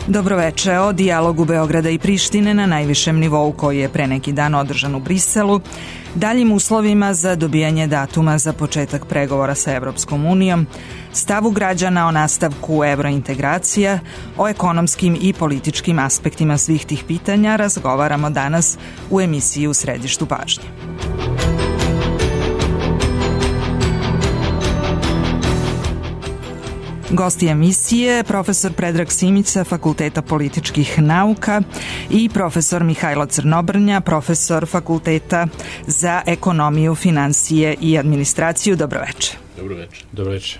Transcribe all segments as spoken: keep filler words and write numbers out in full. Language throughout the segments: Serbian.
Dobroveče. O dijalogu Beograda i Prištine na najvišem nivou koji je pre neki dan održan u Briselu, daljim uslovima za dobijanje datuma za početak pregovora sa Evropskom unijom, stavu građana o nastavku evrointegracija, o ekonomskim i političkim aspektima svih tih pitanja razgovaramo danas u emisiji U središtu pažnje. Gosti emisije, profesor Predrag Simić sa Fakulteta političkih nauka i profesor Mihajlo Crnobrnja, profesor Fakulteta za ekonomiju, finansije i administraciju. Dobroveče. Dobroveče. Dobroveče.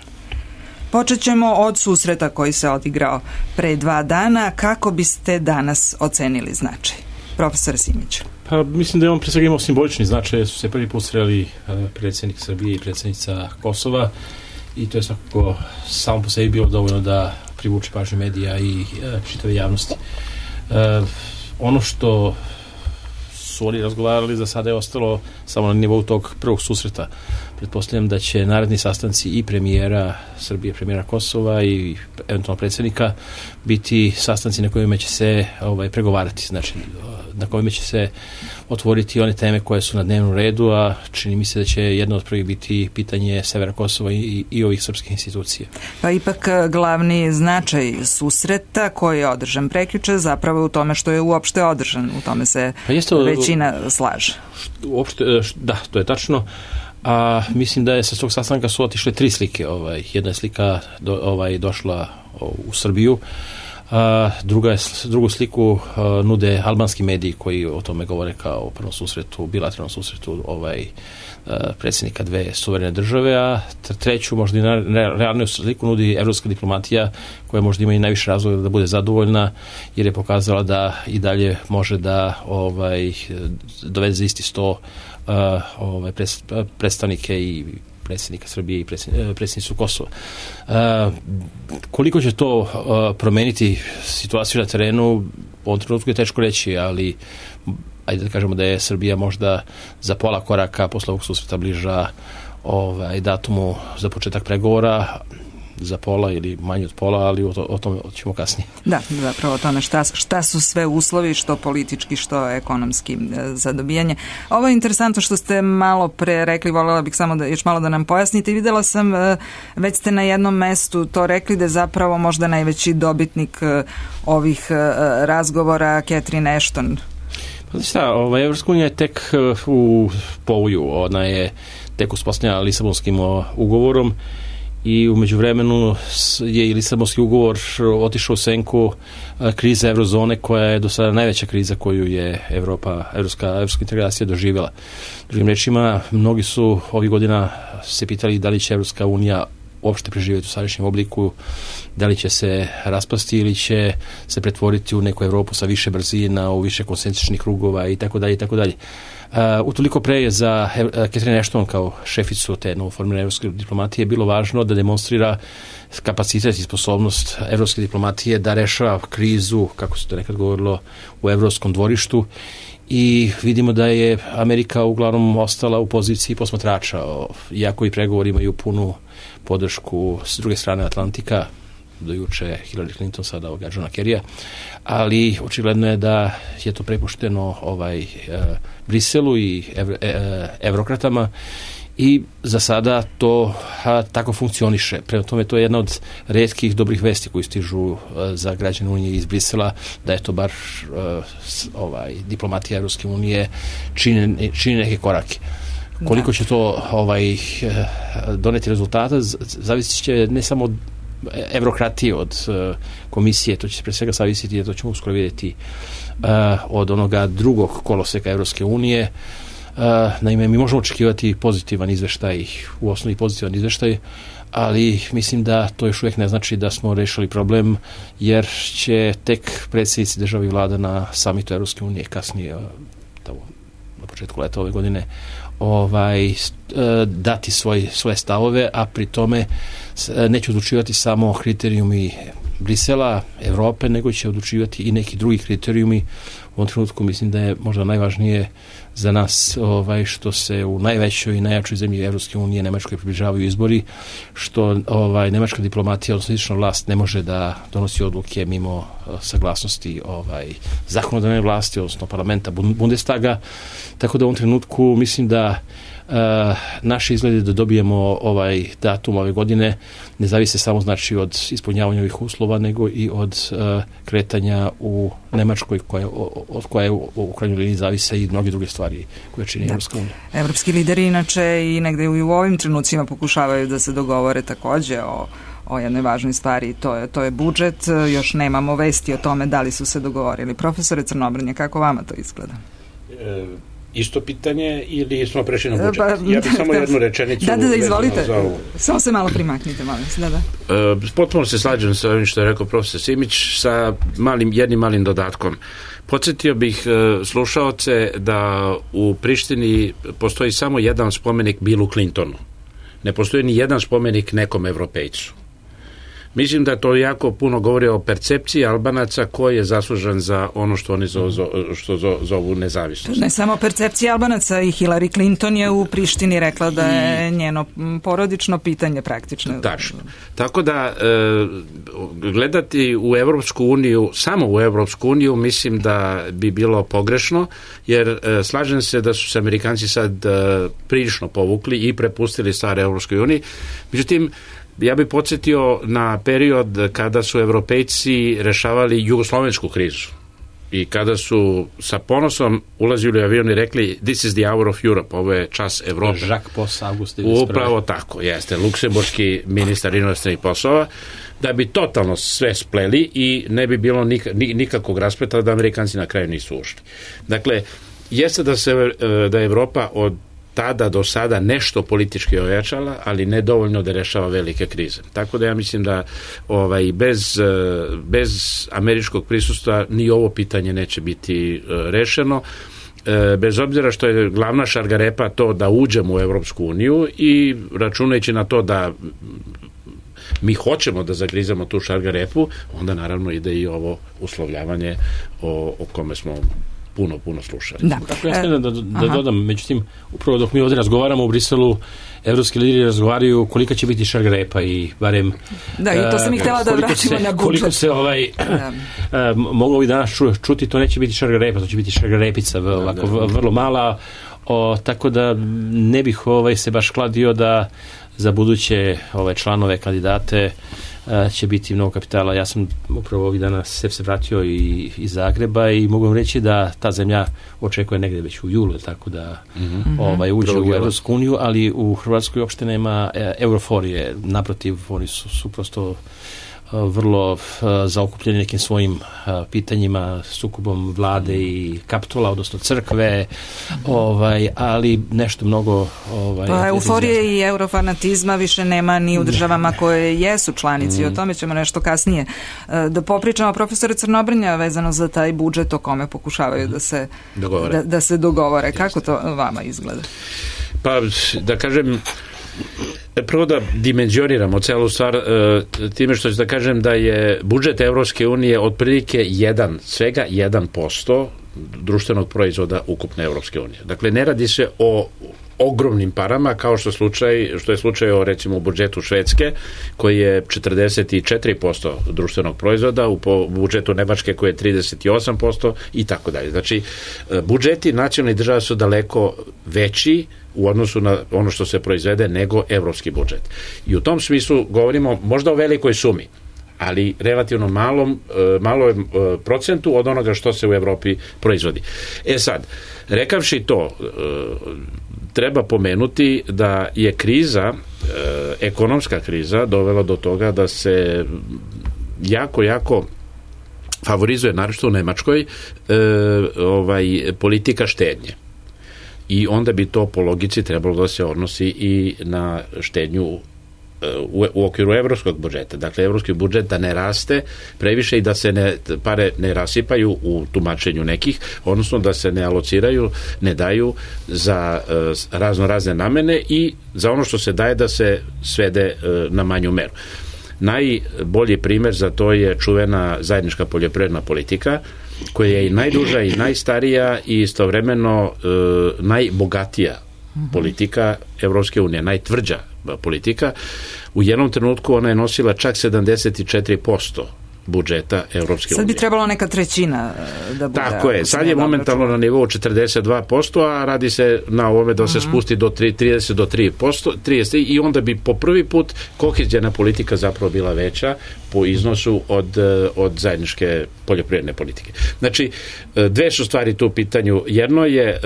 Počet ćemo od susreta koji se odigrao pre dva dana. Kako biste danas ocenili značaj? Profesor Simić. Pa mislim da je on pre svega imao simbolični značaj, jer su se prvi put sreli predsjednik Srbije i predsjednica Kosova. I to je svakako samo po sebi bilo dovoljno da privuče pažnju medija i e, čitave javnosti. E, ono što su oni razgovarali za sada je ostalo samo na nivou tog prvog susreta. Pretpostavljam da će naredni sastanci i premijera Srbije, premijera Kosova i eventualno predsjednika biti sastanci na kojima će se ovaj, pregovarati. Znači, na kojima će se otvoriti one teme koje su na dnevnom redu, a čini mi se da će jedno od prvih biti pitanje severa Kosova i, i ovih srpskih institucija. Pa ipak glavni značaj susreta koji je održan prekjuče zapravo u tome što je uopšte održan, u tome se pa jeste, većina slaže. Uopšte, da, to je tačno. A mislim da je sa tog sastanka su otišle tri slike. Ovaj, jedna je slika do, ovaj, došla u Srbiju, a druga je, drugu sliku a, nude albanski mediji koji o tome govore kao o prvom susretu, bilateralnom susretu ovaj, a, predsjednika dve suverene države, a treću možda i realniju sliku nudi evropska diplomatija koja možda ima i najviše razloga da bude zadovoljna jer je pokazala da i dalje može da ovaj, dovede za isti sto Uh, ovaj, predstavnike i predsjednika Srbije i predsjednicu Kosova. Uh, koliko će to uh, promeniti situaciju na terenu, u ovom trenutku je teško reći, ali ajde da kažemo da je Srbija možda za pola koraka posle ovog susreta bliža ovaj, datumu za početak pregovora, za pola ili manje od pola, ali o, to, o tome ćemo kasnije. Da, zapravo o tome šta, šta su sve uslovi, što politički, što ekonomski za dobijanje. Ovo je interesantno što ste malo pre rekli, voljela bih samo da još malo da nam pojasnite. Videla sam, već ste na jednom mestu to rekli da je zapravo možda najveći dobitnik ovih razgovora Catherine Ashton. Pa šta, ovaj, Evropska unija je tek u povoju, ona je tek uspostavljena Lisabonskim ugovorom i u međuvremenu je i Lisabonski ugovor otišao u senku krize eurozone koja je do sada najveća kriza koju je Evropa, evropska, evropska integracija doživjela. Drugim rečima, mnogi su ovih godina se pitali da li će Evropska unija uopšte preživjeti u sadašnjem obliku, da li će se raspasti ili će se pretvoriti u neku Evropu sa više brzina, u više koncentričnih krugova i tako dalje i tako dalje. Uh, utoliko pre je za uh, Catherine Ashton kao šeficu te novoformirane evropske diplomatije bilo važno da demonstrira kapacitet i sposobnost evropske diplomatije da rešava krizu, kako se to nekad govorilo, u evropskom dvorištu i vidimo da je Amerika uglavnom ostala u poziciji posmatrača, iako i pregovori imaju punu podršku s druge strane Atlantika, do juče Hillary Clinton, sada ovoga Johna Kerrya, ali očigledno je da je to prepušteno ovaj, e, Briselu i ev, e, evrokratama i za sada to a, tako funkcioniše. Prema tome to je jedna od retkih dobrih vesti koji stižu a, za građane Unije iz Brisela, da je to bar a, s, ovaj, diplomatija Evropske unije čini, čini neke korake. Koliko će to ovaj, doneti rezultata, zavisit će ne samo od evrokratije, od uh, komisije, to će se pre svega zavisiti, jer to ćemo uskoro vidjeti uh, od onoga drugog koloseka Evropske unije. Uh, naime, mi možemo očekivati pozitivan izveštaj, u osnovi pozitivan izveštaj, ali mislim da to još uvijek ne znači da smo rešili problem, jer će tek predsjednici država i vlada na samitu Evropske unije kasnije, uh, na početku leta ove godine, ovaj, dati svoj, svoje stavove, a pri tome neće odlučivati samo kriterijumi Brisela, Evrope, nego će odlučivati i neki drugi kriterijumi u ovom trenutku mislim da je možda najvažnije za nas ovaj, što se u najvećoj i najjačoj zemlji Evropske unije Nemačkoj približavaju izbori, što ovaj, nemačka diplomatija, odnosno izvršna vlast, ne može da donosi odluke mimo uh, saglasnosti ovaj, zakonodavne vlasti, odnosno parlamenta Bundestaga, tako da u ovom trenutku mislim da Uh, naše izglede da dobijemo ovaj datum ove godine ne zavise samo znači od ispunjavanja ovih uslova, nego i od uh, kretanja u Nemačkoj koja, od koje u, u krajnjoj liniji zavise i mnoge druge stvari koje čini Evropska unija. Evropski lideri inače i negde i u ovim trenucima pokušavaju da se dogovore takođe o o jednoj važnoj stvari, to je, to je budžet. Još nemamo vesti o tome da li su se dogovorili. Profesore Crnobrnje, kako vama to izgleda? E... Isto pitanje ili smo prešli na budžet? Ja bih samo jednu rečenicu... Da, da, da, izvolite. Samo se malo primaknite, molim se. Da, da. E, potpuno se slađam sa ovim što je rekao profesor Simić sa malim, jednim malim dodatkom. Podsjetio bih e, slušaoce da u Prištini postoji samo jedan spomenik Billu Clintonu. Ne postoji ni jedan spomenik nekom Evropejcu. Mislim da to jako puno govori o percepciji Albanaca ko je zaslužan za ono što oni zo, zo, što zo, zovu nezavisnost. Ne samo percepcija Albanaca, i Hillary Clinton je u Prištini rekla da je njeno porodično pitanje praktično. Tačno. Tako da e, gledati u Evropsku uniju, samo u Evropsku uniju, mislim da bi bilo pogrešno, jer e, slažem se da su se Amerikanci sad e, prilično povukli i prepustili stare Evropskoj uniji. Međutim, ja bih podsjetio na period kada su Evropejci rešavali jugoslovensku krizu i kada su sa ponosom ulazili u avion i rekli this is the hour of Europe, ovo je čas Evrope. Jacques Poss, August Upravo tako, jeste, luksemburški ministar inostranih poslova, da bi totalno sve spleli i ne bi bilo nik, nikakvog raspleta da Amerikanci na kraju nisu ušli. Dakle, jeste da se da je Evropa od tada do sada nešto politički ojačala, ali ne dovoljno da rešava velike krize. Tako da ja mislim da ovaj, bez, bez američkog prisustva ni ovo pitanje neće biti rešeno. Bez obzira što je glavna šargarepa to da uđemo u Evropsku uniju i računajući na to da mi hoćemo da zagrizamo tu šargarepu, onda naravno ide i ovo uslovljavanje o, o kome smo puno, puno slušali. Da. Tako ja smijem da, da, da dodam, međutim, upravo dok mi ovdje razgovaramo u Briselu, evropski lideri razgovaraju kolika će biti šargarepa i barem... Da, i to sam ih htjela da vratimo na budžet. Koliko se ovaj, da. moglo ovih danas čuti, to neće biti šargarepa, to će biti šargarepica, da, ovako, da, da. vrlo mala, o, tako da ne bih ovaj, se baš kladio da za buduće ovaj, članove, kandidate će biti mnogo kapitala. Ja sam upravo ovih dana se se vratio i iz Zagreba i mogu vam reći da ta zemlja očekuje negde već u julu, tako da mm-hmm. ovaj, uđe Drugi u Evropsku uniju, ali u Hrvatskoj uopšte nema euroforije. Naprotiv, oni su, su prosto vrlo uh, zaokupljeni nekim svojim uh, pitanjima, sukobom vlade i kapitola, odnosno crkve, ovaj, ali nešto mnogo... Ovaj, pa euforije i eurofanatizma više nema ni u državama koje jesu članici, mm. o tome ćemo nešto kasnije uh, da popričamo. Profesore Crnobrnja, vezano za taj budžet o kome pokušavaju da se dogovore. Da, da se dogovore. Kako to vama izgleda? Pa, da kažem, prvo da dimenzioniramo celu stvar time što ću da kažem da je budžet Evropske unije otprilike jedan, svega jedan posto društvenog proizvoda ukupne Evropske unije. Dakle, ne radi se o ogromnim parama kao što, slučaj, što je slučaj o recimo u budžetu Švedske koji je četrdeset četiri posto društvenog proizvoda, u budžetu Nemačke koji je trideset osam posto i tako dalje. Znači, budžeti nacionalnih država su daleko veći u odnosu na ono što se proizvede nego evropski budžet. I u tom smislu govorimo možda o velikoj sumi, ali relativno malom, malom procentu od onoga što se u Evropi proizvodi. E sad, rekavši to, treba pomenuti da je kriza, ekonomska kriza, dovela do toga da se jako, jako favorizuje, naročito u Nemačkoj, ovaj, politika štednje. I onda bi to po logici trebalo da se odnosi i na štednju u, u okviru evropskog budžeta. Dakle, evropski budžet da ne raste previše i da se ne, pare ne rasipaju u tumačenju nekih, odnosno da se ne alociraju, ne daju za uh, razno razne namene i za ono što se daje da se svede uh, na manju meru. Najbolji primer za to je čuvena zajednička poljoprivredna politika koja je i najduža i najstarija i istovremeno e, najbogatija politika Evropske unije, najtvrđa politika. U jednom trenutku ona je nosila čak sedamdeset četiri posto budžeta Evropske unije. Sad bi trebalo neka trećina da bude. Tako je, sad je momentalno na nivou četrdeset dva posto, a radi se na ovome da se uh-huh. spusti do trideset do tri posto, trideset i onda bi po prvi put koheziona politika zapravo bila veća po iznosu od, od zajedničke poljoprivredne politike. Znači, dve su stvari tu u pitanju. Jedno je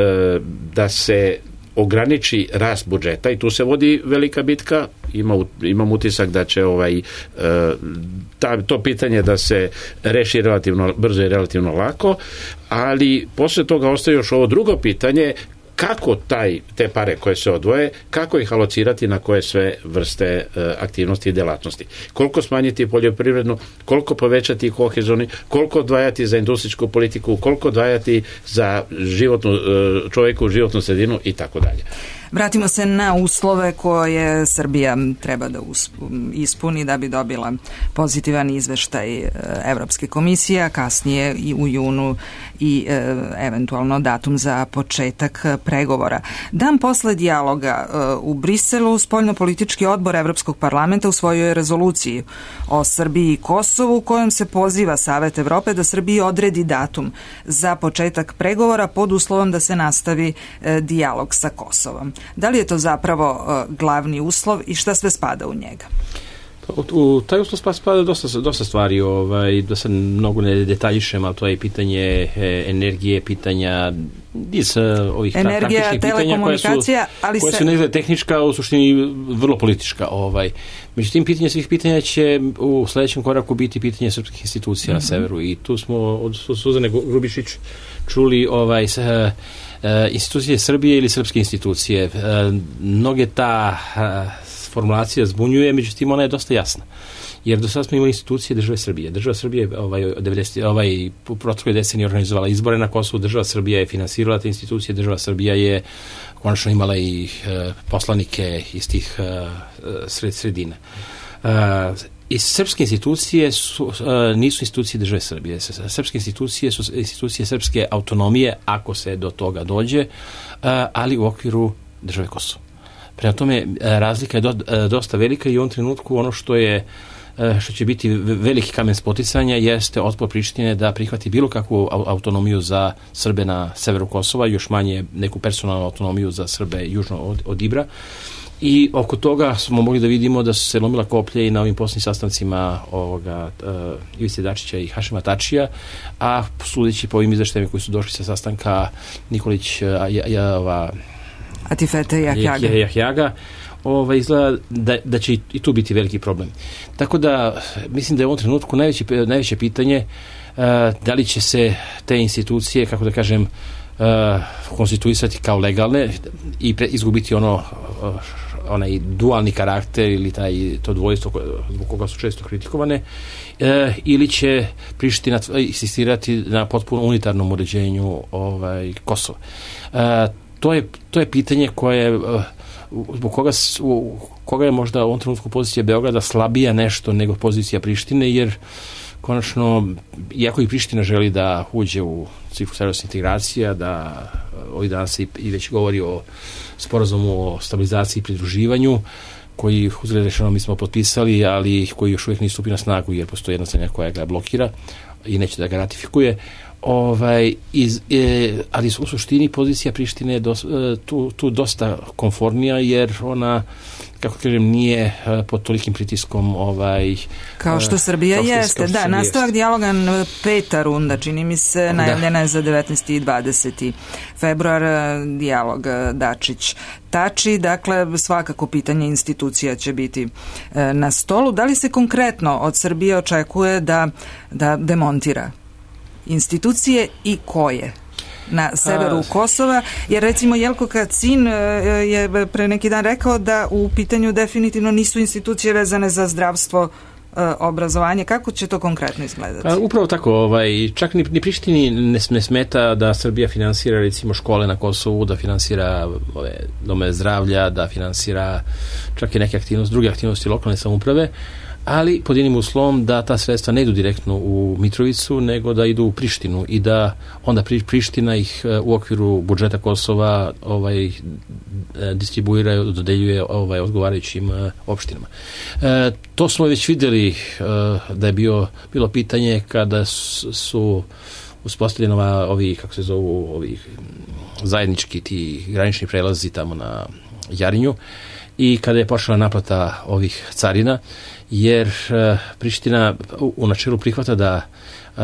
da se ograniči rast budžeta i tu se vodi velika bitka. Ima, imam utisak da će ovaj, ta, to pitanje da se reši relativno brzo i relativno lako, ali posle toga ostaje još ovo drugo pitanje, kako taj, te pare koje se odvoje, kako ih alocirati na koje sve vrste e, aktivnosti i delatnosti. Koliko smanjiti poljoprivrednu, koliko povećati kohezoni, koliko odvajati za industrijsku politiku, koliko odvajati za životnu, e, čoveku životnu sredinu i tako dalje. Vratimo se na uslove koje Srbija treba da ispuni da bi dobila pozitivan izveštaj Evropske komisije, a kasnije i u junu i e, eventualno datum za početak pregovora. Dan posle dijaloga e, u Briselu spoljnopolitički odbor Evropskog parlamenta usvojio je rezoluciju o Srbiji i Kosovu u kojom se poziva Savet Evrope da Srbiji odredi datum za početak pregovora pod uslovom da se nastavi e, dijalog sa Kosovom. Da li je to zapravo uh, glavni uslov i šta sve spada u njega? U, u taj uslov spada dosta, dosta stvari, ovaj, da se mnogo ne detaljišem, ali to je pitanje e, energije, pitanja iz ovih energija, taktičnih pitanja koja su, ali koja se... su ne tehnička, u suštini vrlo politička. Ovaj. Međutim, pitanje svih pitanja će u sledećem koraku biti pitanje srpskih institucija mm-hmm. na severu i tu smo od Suzane Grubišić čuli ovaj, sa, Uh, institucije Srbije ili srpske institucije. Uh, mnoge ta uh, formulacija zbunjuje, međutim ona je dosta jasna. Jer do sada smo imali institucije države Srbije. Država Srbije ovaj, devedeset, ovaj, u protekloj deceniji organizovala izbore na Kosovu, država Srbija je finansirala te institucije, država Srbija je konačno imala i uh, poslanike iz tih uh, sred, sredina. Uh, I srpske institucije su, uh, nisu institucije države Srbije. Srpske institucije su institucije srpske autonomije, ako se do toga dođe, uh, ali u okviru države Kosovo. Prema tome, uh, razlika je do, uh, dosta velika i u ovom trenutku ono što je uh, što će biti veliki kamen spoticanja jeste otpor Prištine da prihvati bilo kakvu autonomiju za Srbe na severu Kosova, još manje neku personalnu autonomiju za Srbe južno od, od Ibra. I oko toga smo mogli da vidimo da su se lomila koplje i na ovim posljednjim sastancima ovoga uh, Ivice Dačića i Hašima Tačija, a sudeći po ovim izveštajima koji su došli sa sastanka Nikolić uh, ja, ja, ova, Atifete Jahjaga, Jahjaga ovaj, izgleda da, da će i tu biti veliki problem. Tako da mislim da je u ovom trenutku najveće, najveće pitanje uh, da li će se te institucije, kako da kažem, uh, konstituisati kao legalne i pre, izgubiti ono uh, onaj dualni karakter ili taj, to dvojstvo zbog koga su često kritikovane, e, ili će Priština insistirati na potpuno unitarnom uređenju ovaj, Kosova. E, to, je, to je pitanje koje zbog koga, u, koga je možda u ovom trenutku pozicija Beograda slabija nešto nego pozicija Prištine, jer konačno, iako i Priština želi da uđe u ciklu evropskih integracija, da ovih dana se i već govori o sporazumu o stabilizaciji i pridruživanju, koji uzgled rečeno mi smo potpisali, ali koji još uvijek nisu stupili na snagu, jer postoji jedna strana koja ga blokira i neće da ga ratifikuje. Ovaj, iz, e, ali u suštini pozicija Prištine je dos, e, tu, tu dosta komfornija, jer ona, kako kažem, nije e, pod tolikim pritiskom ovaj, kao što Srbija kao jeste. što da, Srbija nastavak jeste. Dijaloga peta runda, čini mi se, najavljena je za devetnaesti i dvadeseti februar, dijalog Dačić Tači, dakle svakako pitanje institucija će biti e, na stolu. Da li se konkretno od Srbije očekuje da, da demontira institucije i koje na severu Kosova, jer recimo Jelko Kacin je pre neki dan rekao da u pitanju definitivno nisu institucije vezane za zdravstvo obrazovanje. Kako će to konkretno izgledati? Pa, upravo tako, ovaj, čak ni, ni Prištini ne, ne smeta da Srbija finansira recimo škole na Kosovu, da finansira ove dome zdravlja, da finansira čak i neke aktivnosti, druge aktivnosti lokalne samouprave, ali pod jednim uslovom da ta sredstva ne idu direktno u Mitrovicu, nego da idu u Prištinu i da onda Priština ih u okviru budžeta Kosova ovaj, distribuira i dodeljuje ovaj, odgovarajućim opštinama. E, to smo već vidjeli e, da je bio, bilo pitanje kada su uspostavljeni ovi, kako se zovu, ovi zajednički ti granični prelazi tamo na Jarinju i kada je počela naplata ovih carina, jer uh, Priština u, u načelu prihvata da uh,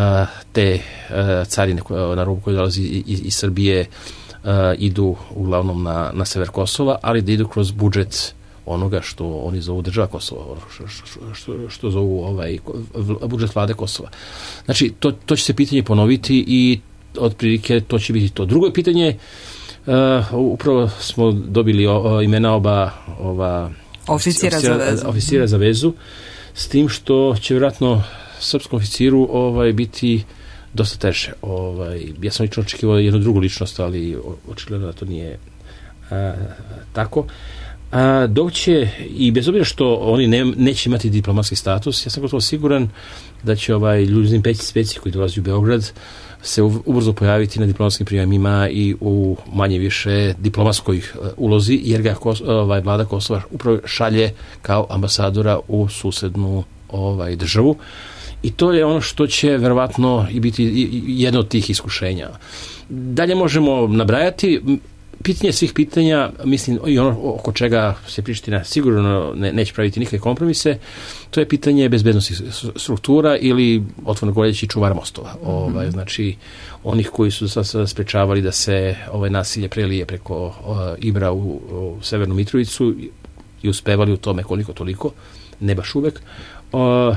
te uh, carine na robu koje dolazi iz, iz Srbije uh, idu uglavnom na, na sever Kosova, ali da idu kroz budžet onoga što oni zovu država Kosova, što, što, što, što zovu ovaj, budžet vlade Kosova. Znači, to, to će se pitanje ponoviti i otprilike to će biti to. Drugo pitanje, uh, upravo smo dobili o, o, imena oba ova Oficira za vezu. Oficira za vezu, s tim što će vjerojatno srpskom oficiru ovaj, biti dosta teže. Ovaj, ja sam lično očekivao jednu drugu ličnost, ali očigledno da to nije a, tako. A, dok će, i bez obzira što oni ne, neće imati diplomatski status, ja sam gotovo siguran da će ovaj Ljuzin Peci Speci koji dolazi u Beograd se ubrzo pojaviti na diplomatskim prijemima i u manje više diplomatskoj ulozi, jer ga ovaj, vlada Kosova upravo šalje kao ambasadora u susednu ovaj, državu. I to je ono što će verovatno i biti jedno od tih iskušenja. Dalje možemo nabrajati. Pitanje svih pitanja, mislim, i ono oko čega se Priština sigurno ne, neće praviti nikakve kompromise, to je pitanje bezbednosti struktura ili, otvoreno govoreći, čuvara mostova. Mm-hmm. Ovaj, znači, onih koji su sad sprečavali da se ovaj nasilje prelije preko uh, Ibra u, u Severnu Mitrovicu i uspevali u tome koliko toliko, ne baš uvek. Uh,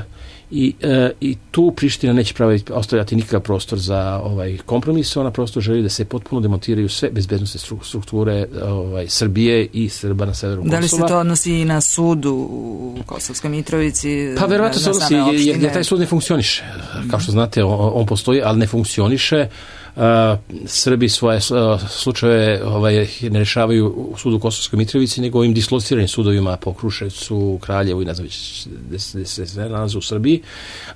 I, e, i tu Priština neće praviti, ostavljati nikakav prostor za ovaj kompromis, ona prosto želi da se potpuno demontiraju sve bezbednostne strukture ovaj, Srbije i Srba na severu Kosova. Da li se to odnosi i na sud u Kosovskoj Mitrovici? Pa verovatno se odnosi, jer, jer taj sud ne funkcioniše. Kao što znate, on, on postoji, ali ne funkcioniše. Uh, Srbi svoje uh, slučajeve ovaj, ne rešavaju u sudu u Kosovskoj Mitrovici, nego ovim dislociranim sudovima po Kruševcu, Kraljevu i ne znam gde se nalaze u Srbiji,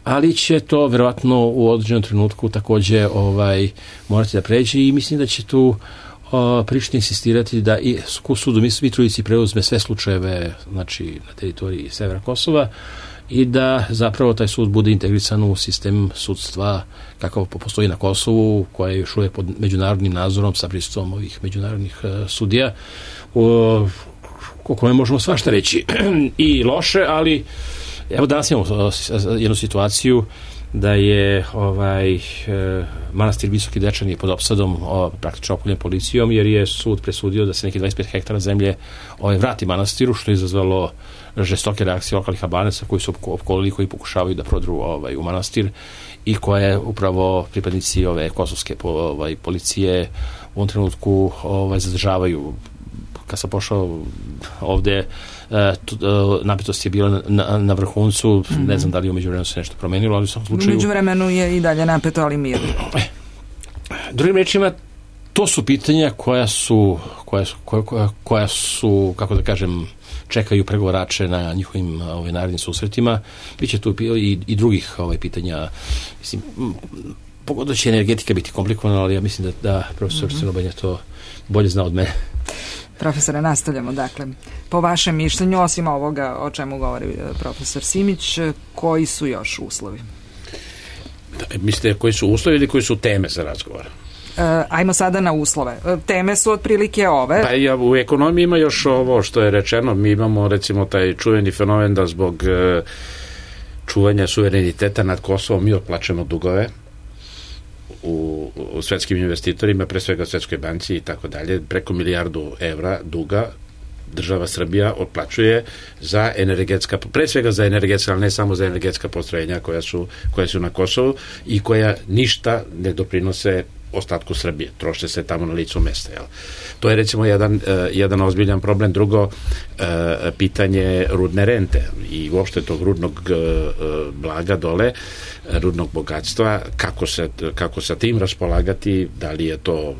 ali će to verovatno u određenom trenutku takođe ovaj, morati da pređe i mislim da će tu uh, Priština insistirati da i u sudu Mitrovici preuzme sve slučajeve, znači na teritoriji severa Kosova, i da zapravo taj sud bude integrisan u sistem sudstva kakav postoji na Kosovu, koja je još uvijek pod međunarodnim nadzorom sa prisustvom ovih međunarodnih uh, sudija, o, o kome možemo svašta reći i loše, ali evo danas imamo jednu situaciju da je ovaj e, manastir Visoki Dečani je pod opsadom o, praktično opkoljen policijom, jer je sud presudio da se neki dvadeset pet hektara zemlje ovaj, vrati manastiru, što je izazvalo žestoke reakcije lokalnih Albanaca koji su opkolili, koji pokušavaju da prodru ovaj, u manastir i koje upravo pripadnici ove kosovske ovaj, policije u ovom trenutku ovaj, zadržavaju. Kad sam pošao ovde, napetost je bila na, na vrhuncu, mm-hmm. ne znam da li u međuvremenu se nešto promenilo, ali u svom slučaju... U međuvremenu je i dalje napeto, ali mirno. Drugim rečima, to su pitanja koja su, koja su, koja, koja su kako da kažem, čekaju pregovarače na njihovim ovaj, narednim susretima. Biće tu i, i drugih ovaj, pitanja. Mislim, pogotovo će energetika biti komplikovana, ali ja mislim da, da profesor mm-hmm. Crnobanja to bolje zna od mene. Profesore, nastavljamo. Dakle, po vašem mišljenju, osim ovoga o čemu govori profesor Simić, koji su još uslovi? Da, mislite koji su uslovi ili koji su teme za razgovor? E, ajmo sada na uslove. Teme su otprilike ove. Pa ja, u ekonomiji ima još ovo što je rečeno. Mi imamo recimo taj čuveni fenomen da zbog e, čuvanja suvereniteta nad Kosovom mi otplaćamo dugove u, u svetskim investitorima, pre svega Svetskoj banci i tako dalje, preko milijardu evra duga država Srbija otplaćuje za energetska, pre svega za energetska, ali ne samo za energetska postrojenja koja su, koja su na Kosovu i koja ništa ne doprinose ostatku Srbije. Troše se tamo na licu mesta. Jel? To je recimo jedan, jedan ozbiljan problem. Drugo, pitanje rudne rente i uopšte tog rudnog blaga dole, rudnog bogatstva, kako se, kako sa tim raspolagati, da li je to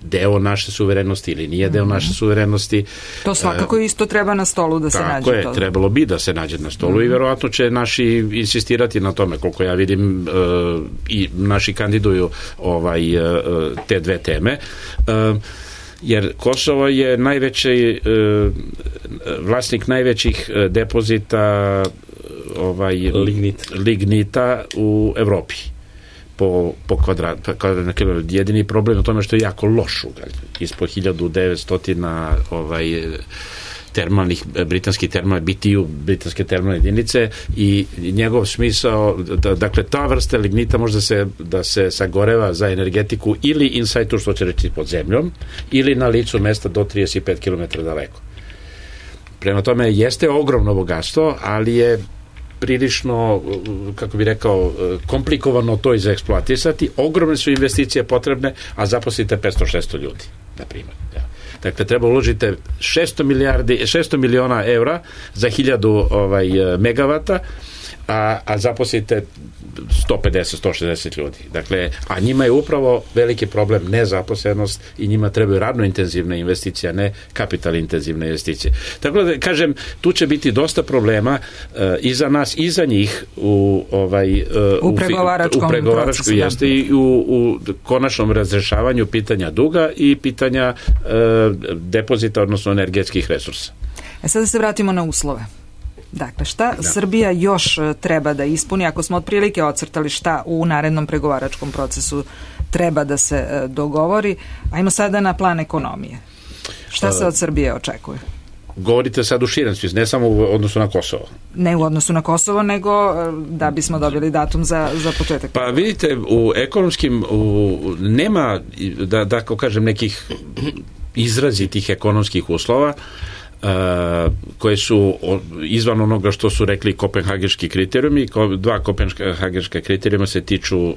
deo naše suverenosti ili nije deo naše suverenosti. To svakako isto treba na stolu da se nađe. Tako je, to. Trebalo bi da se nađe na stolu mm-hmm. i verovatno će naši insistirati na tome, koliko ja vidim uh, i naši kandiduju ovaj, uh, te dve teme. Uh, jer Kosovo je najveći uh, vlasnik najvećih depozita ovaj, lignit. lignita u Evropi. po, po kvadrat, kvadratna kilometra. Jedini problem je u tome što je jako loš ugalj. Ispod hiljadu devetsto ovaj, termalnih, britanskih termalnih, B T U, britanske termalne jedinice i njegov smisao, da, dakle, ta vrsta lignita može da se, da se sagoreva za energetiku ili in situ, što će reći pod zemljom, ili na licu mesta do trideset pet kilometara daleko. Prema tome, jeste ogromno bogatstvo, ali je prilično, kako bi rekao, komplikovano to izeksploatisati. Ogromne su investicije potrebne, a zaposlite petsto šesto ljudi, na primjer. Dakle, treba uložiti šesto milijardi, šesto miliona evra za hiljadu ovaj, megavata, a, a zaposlite sto pedeset do sto šezdeset ljudi. Dakle, a njima je upravo veliki problem nezaposlenost i njima trebaju radno intenzivne investicije, a ne kapital intenzivne investicije. Tako da, kažem, tu će biti dosta problema uh, i za nas i za njih u, ovaj, uh, u pregovaračkom, u pregovaračku jeste i u, u konačnom razrešavanju pitanja duga i pitanja uh, depozita, odnosno energetskih resursa. E sad da se vratimo na uslove. Dakle, šta da. Srbija još treba da ispuni, ako smo otprilike ocrtali šta u narednom pregovaračkom procesu treba da se dogovori, ajmo sada na plan ekonomije. Šta se od Srbije očekuje? Govorite sad u širem smislu, ne samo u odnosu na Kosovo. Ne u odnosu na Kosovo, nego da bismo dobili datum za, za početak. Pa vidite, u ekonomskim u, nema, da, da ako kažem, nekih izrazitih ekonomskih uslova Uh, koje su izvan onoga što su rekli kopenhagenški kriterijumi. Dva kopenhagenška kriterijuma se tiču uh,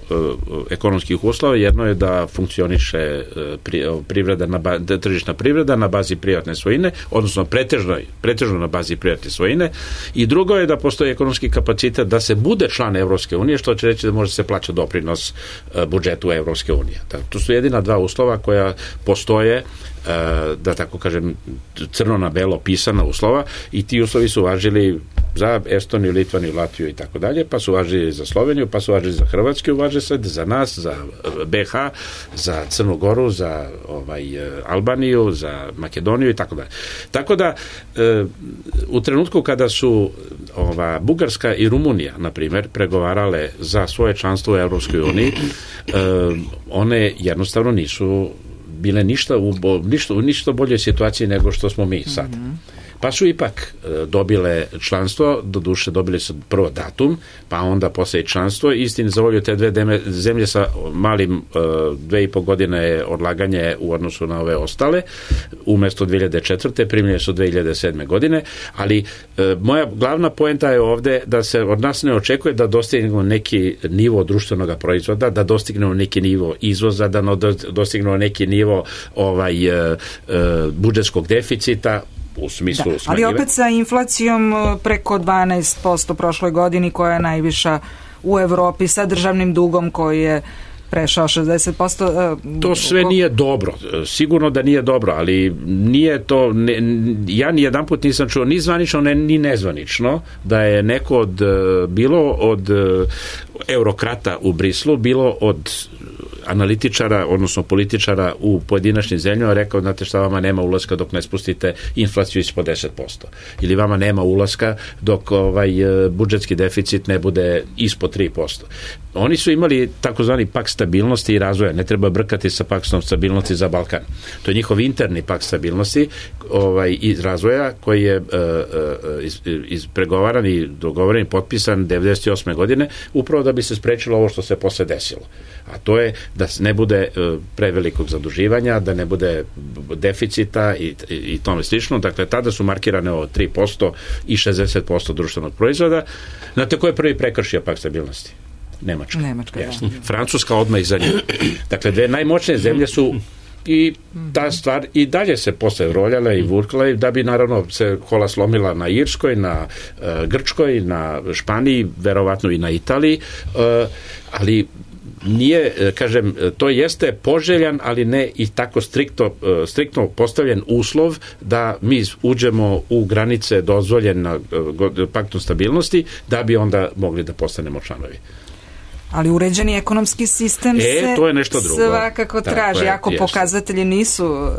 ekonomskih uslova. Jedno je da funkcioniše uh, pri, privreda na ba, tržišna privreda na bazi privatne svojine, odnosno pretežno, pretežno na bazi privatne svojine, i drugo je da postoji ekonomski kapacitet da se bude član Evropske unije, što će reći da može se plaća doprinos uh, budžetu Evropske unije. To su jedina dva uslova koja postoje, da tako kažem, crno na belo pisana uslova, i ti uslovi su važili za Estoniju, Litvaniju, Latviju i tako dalje, pa su važili za Sloveniju, pa su važili za Hrvatsku, važe sad za nas, za B H, za Crnu Goru, za ovaj, Albaniju, za Makedoniju i tako dalje. Tako da e, u trenutku kada su ova, Bugarska i Rumunija, na primjer, pregovarale za svoje članstvo u Evropskoj uniji, e, one jednostavno nisu bile ništa u, ništa, u ništa boljoj situaciji nego što smo mi sad. Mm-hmm. Pa su ipak e, dobile članstvo, do duše dobili su prvo datum, pa onda posle i članstvo. Istini za volju te dve deme, zemlje sa malim e, dve i po godine je odlaganje u odnosu na ove ostale. Umesto dve hiljade četvrte primljene su dve hiljade sedme godine, ali e, moja glavna poenta je ovde da se od nas ne očekuje da dostignemo neki nivo društvenog proizvoda, da dostignemo neki nivo izvoza, da dostignemo neki nivo ovaj, e, e, budžetskog deficita, u smislu da, ali opet sa inflacijom preko dvanaest posto prošloj godini, koja je najviša u Evropi, sa državnim dugom koji je prešao šezdeset posto. To sve nije dobro. Sigurno da nije dobro, ali nije to, ne, ja ni jedan put nisam čuo ni zvanično, ne, ni nezvanično da je neko od, bilo od eurokrata u Brislu, bilo od analitičara, odnosno političara u pojedinačnim zemljama rekao, znate šta, vama nema ulaska dok ne spustite inflaciju ispod deset posto. Ili vama nema ulaska dok ovaj budžetski deficit ne bude ispod tri posto. Oni su imali takozvani pakt stabilnosti i razvoja. Ne treba brkati sa paktom stabilnosti za Balkan. To je njihov interni pakt stabilnosti ovaj, iz razvoja, koji je uh, uh, iz, izpregovaran i dogovoren i potpisan devedeset osme godine, upravo da bi se sprečilo ovo što se posle desilo. A to je da ne bude uh, prevelikog zaduživanja, da ne bude deficita i, i, i tome slično. Dakle, tada su markirane ovo tri posto i šezdeset posto društvenog proizvoda. Znate ko je prvi prekršio pakt stabilnosti? Nemačka. Nemačka, yes. da. Francuska odmah iza nje. Dakle, dve najmoćnije zemlje su i ta stvar i dalje se posle roljala i vurkla da bi naravno se kola slomila na Irskoj, na uh, Grčkoj, na Španiji, verovatno i na Italiji, uh, ali nije, kažem, to jeste poželjan, ali ne i tako striktno, striktno postavljen uslov da mi uđemo u granice dozvoljena paktom stabilnosti, da bi onda mogli da postanemo članovi. Ali uređeni ekonomski sistem e, se to je nešto drugo. Svakako traži, je, ako jest. Pokazatelji nisu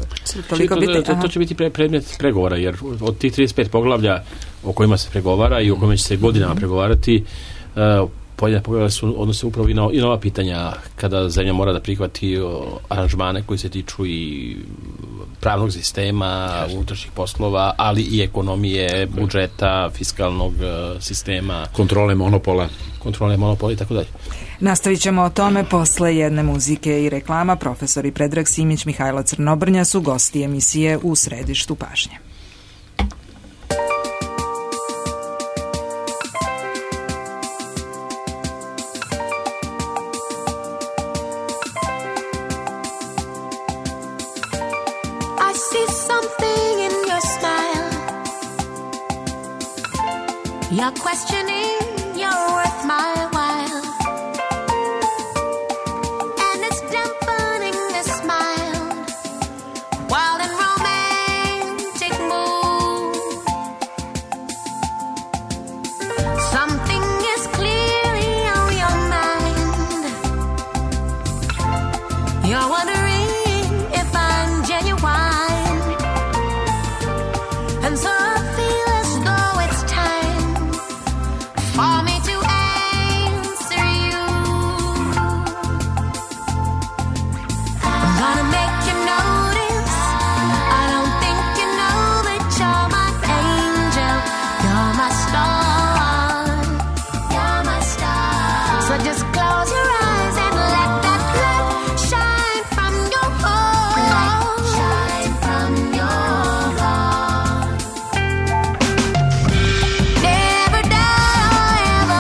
toliko to, bitni. To, to će biti pre, predmet pregovora, jer od tih trideset pet poglavlja o kojima se pregovara i o kojima će se godinama pregovarati, uh, pojedine poglavlja su odnose upravo i na, i na ova pitanja kada zemlja mora da prihvati o, aranžmane koji se tiču i pravnog sistema, unutrašnjih poslova, ali i ekonomije, budžeta, fiskalnog uh, sistema. Kontrole monopola. Kontrole monopola i tako dalje. Nastavit ćemo o tome posle jedne muzike i reklama. Profesori Predrag Simić, Mihajlo Crnobrnja su gosti emisije U središtu pažnje. You're questioning your worth my while, and it's dampening the smile while in romantic mood. Something is clearly on your mind. You're wondering if I'm genuine, and so I feel as though it's time for me to answer you. I'm gonna make you notice. I don't think you know that you're my angel. You're my star. You're my star. So just close your eyes and let that light shine from your heart. Light shine from your heart. Never die, ever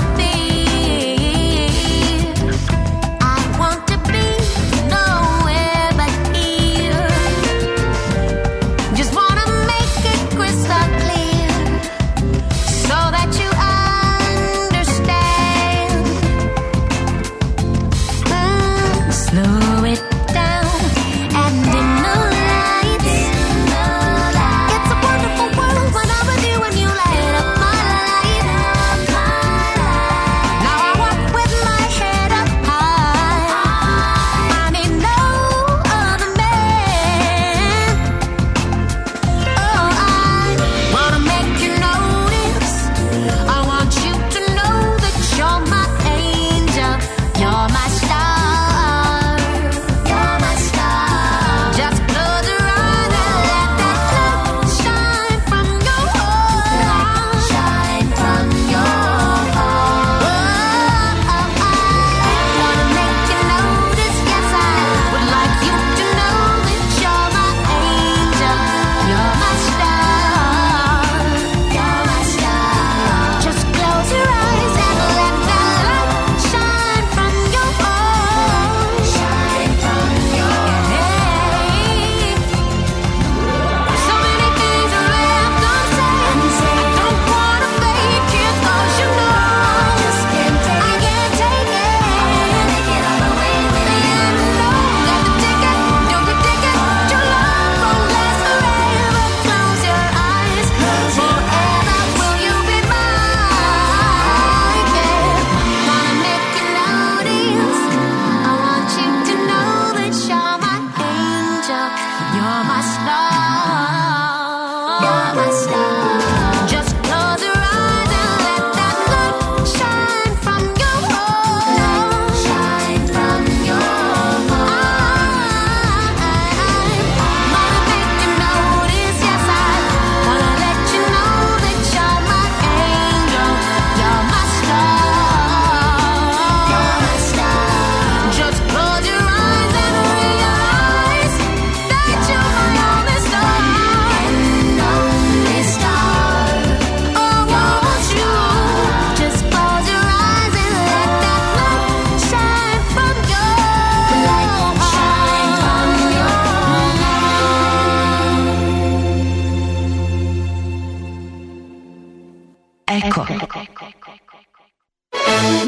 Eko.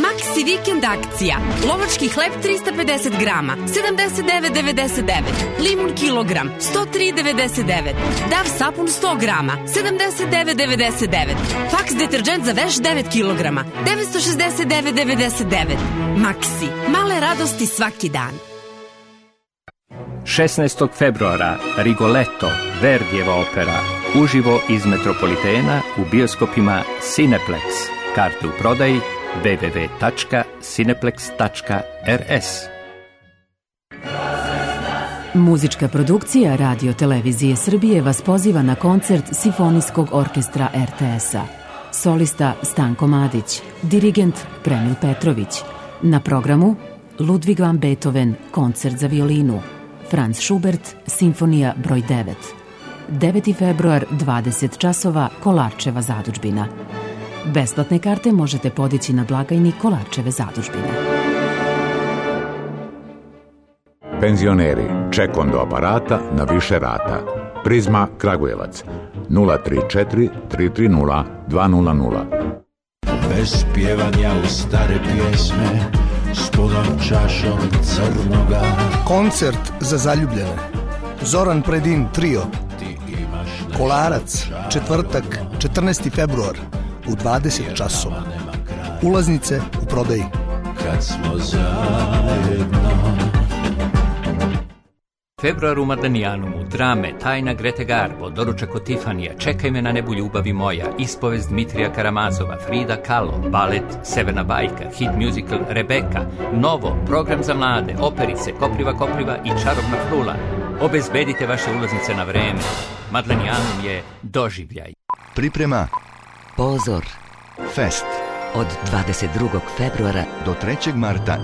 Maxi vikend akcija. Lovački hleb trista pedeset grama, sedamdeset devet devedeset devet. Limun kilogram, sto tri devedeset devet. Dav sapun sto grama, sedamdeset devet devedeset devet. Fax deterđent za veš devet kilograma, devetsto šezdeset devet devedeset devet. Maxi, male radosti svaki dan. šesnaestog februara Rigoletto, Verdijeva opera, uživo iz Metropolitena u bioskopima Cineplex. Karte u prodaji w w w tačka cineplex tačka r s. Muzička produkcija Radio Televizije Srbije vas poziva na koncert Simfonijskog orkestra er te es-a. Solista Stanko Madić, dirigent Premil Petrović. Na programu Ludwig van Beethoven, koncert za violinu. Franz Schubert, Simfonija broj devet. deveti februar, dvadeset časova, Kolarčeva zadužbina. Besplatne karte možete podići na blagajni Kolarčeve zadužbine. Penzioneri, ček do aparata na više rata. Prizma Kragujevac nula tri četiri tri tri nula dva nula nula. Bez pjevanja u stare pjesme, s punom čašom crnoga. Koncert za zaljubljene. Zoran Predin trio. Kolarac, četvrtak, četrnaesti februar u dvadeset časova. Ulaznice u prodaji. Kad smo zajedno. Februar u Madanijanumu, drame, Tajna Grete Garbo, Doručak od Tifanija, Čekaj me na nebu ljubavi moja, Ispovest Dmitrija Karamazova, Frida Kahlo, balet Severna bajka, hit musical Rebeka, Novo, program za mlade, operice, Kopriva Kopriva i Čarobna frula. Obezbedite vaše ulaznice na vreme. Madanijanum je doživljaj. Priprema Pozor Fest od dvadeset drugog februara do trećeg marta.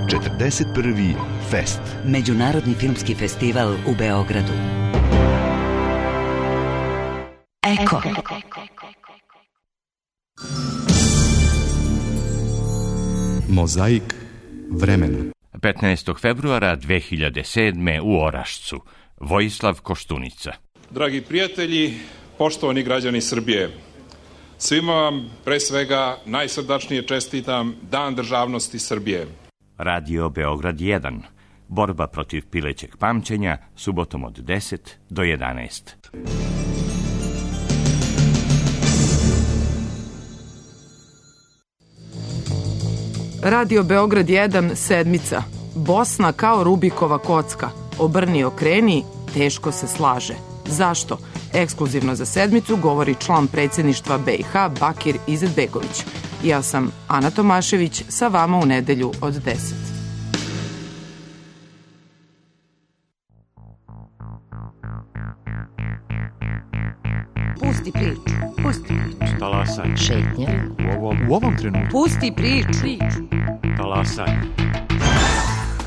četrdeset prvi Fest. Međunarodni filmski festival u Beogradu. Eko. Mozaik vremena. petnaestog februara dve hiljade sedme u Orašcu. Vojislav Koštunica. Dragi prijatelji, poštovani građani Srbije, svima vam pre svega najsrdačnije čestitam Dan državnosti Srbije. Radio Beograd jedan. Borba protiv pilećeg pamćenja, subotom od deset do jedanaest. Radio Beograd jedan, sedmica. Bosna kao Rubikova kocka. Obrni okreni, teško se slaže. Zašto? Ekskluzivno za sedmicu govori član predsjedništva be i ha Bakir Izetbegović. Ja sam Ana Tomašević, sa vama u nedelju od deset. Pusti priču, pusti priču. Talasaj. Šetnja. U ovom, u ovom trenutku. Pusti priču. Talasaj.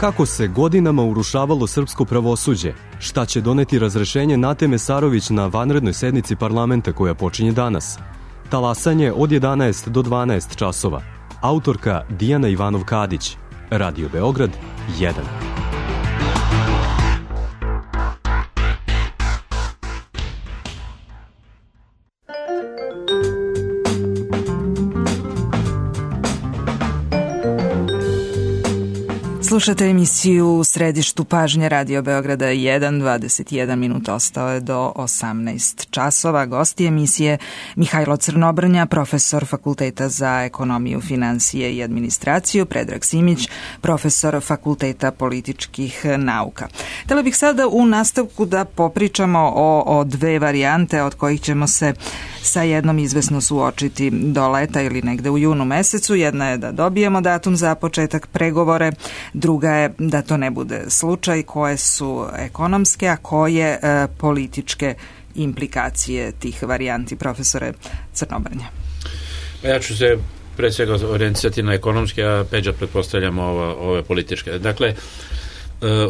Kako se godinama urušavalo srpsko pravosuđe? Šta će doneti razrešenje Nate Mesarović na vanrednoj sednici parlamenta koja počinje danas? Talasanje od jedanaest do dvanaest časova. Autorka Dijana Ivanov-Kadić. Radio Beograd jedan. Slušate emisiju u središtu pažnje Radio Beograda jedan, dvadeset jedan minuta ostao je do osamnaest časova. Gosti emisije Mihajlo Crnobrnja, profesor Fakulteta za ekonomiju, financije i administraciju, Predrag Simić, profesor Fakulteta političkih nauka. Htela bih sada u nastavku da popričamo o, o dve varijante od kojih ćemo se sa jednom izvesno suočiti do leta ili negde u junu mesecu. Jedna je da dobijemo datum za početak pregovore, druga je da to ne bude slučaj. Koje su ekonomske, a koje e, političke implikacije tih varijanti, profesore Crnobrnja? Ja ću se pre svega orijentisati na ekonomske, a Peđa pretpostavljamo ove, ove političke. Dakle,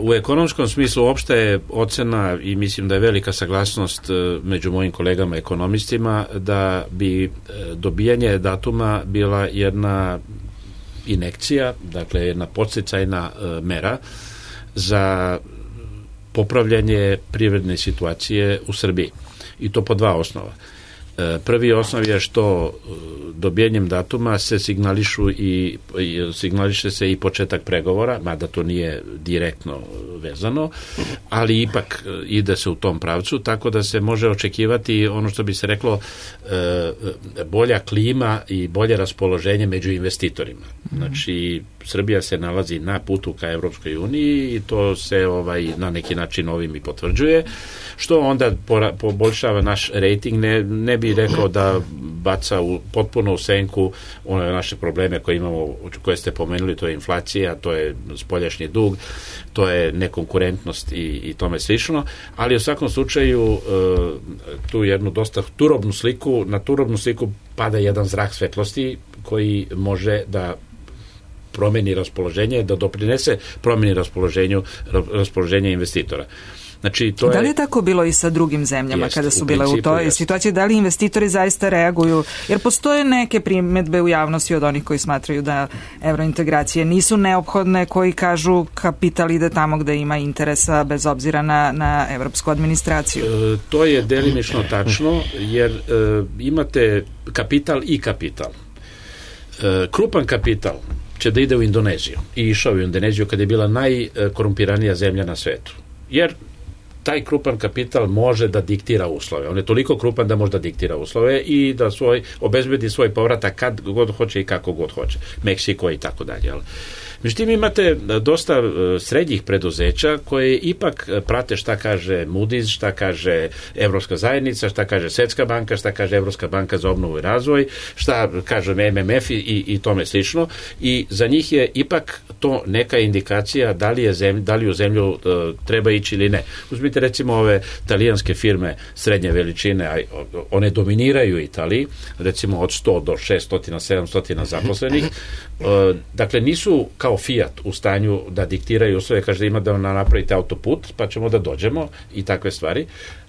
u ekonomskom smislu opšta je ocena i mislim da je velika saglasnost među mojim kolegama ekonomistima da bi dobijanje datuma bila jedna injekcija, dakle jedna podsticajna mera za popravljanje privredne situacije u Srbiji. I to po dva osnova. Prvi osnov je što dobijanjem datuma se signališu i, i signališe se i početak pregovora, mada to nije direktno vezano, ali ipak ide se u tom pravcu, tako da se može očekivati ono što bi se reklo bolja klima i bolje raspoloženje među investitorima. Znači, Srbija se nalazi na putu ka Evropskoj uniji i to se ovaj na neki način ovim i potvrđuje, što onda poboljšava naš rejting. Ne, ne bi rekao da baca u, potpuno u senku one naše probleme koje imamo, koje ste pomenuli, to je inflacija, to je spoljašnji dug, to je nekonkurentnost i, i tome slično, ali u svakom slučaju tu jednu dosta turobnu sliku, na turobnu sliku pada jedan zrak svetlosti koji može da promeni raspoloženje, da doprinese promeni raspoloženju, raspoloženja investitora. Znači, to da li je je tako bilo i sa drugim zemljama jest, kada su u bile principu, u toj jest. situaciji? Da li investitori zaista reaguju? Jer postoje neke primedbe u javnosti od onih koji smatraju da evrointegracije nisu neophodne, koji kažu kapital ide tamo gde ima interesa bez obzira na, na evropsku administraciju. E, to je delimično tačno, jer e, imate kapital i kapital. E, krupan kapital će da ide u Indoneziju i išao u Indoneziju kada je bila najkorumpiranija zemlja na svetu. Jer taj krupan kapital može da diktira uslove. On je toliko krupan da može da diktira uslove i da svoj, obezbedi svoj povratak kad god hoće i kako god hoće. Meksiko i tako dalje. Međutim, imate dosta srednjih preduzeća koje ipak prate šta kaže Moody's, šta kaže Evropska zajednica, šta kaže Svetska banka, šta kaže Evropska banka za obnovu i razvoj, šta kaže M M F i, i tome slično. I za njih je ipak to neka indikacija da li, je zemlj, da li u zemlju uh, treba ići ili ne. Uzmite recimo ove talijanske firme srednje veličine, a one dominiraju Italiji, recimo od sto do šesto, sedamsto zaposlenih. Uh, dakle, nisu kao Fiat u stanju da diktiraju uslove, kaže da ima da napravite autoput, pa ćemo da dođemo i takve stvari,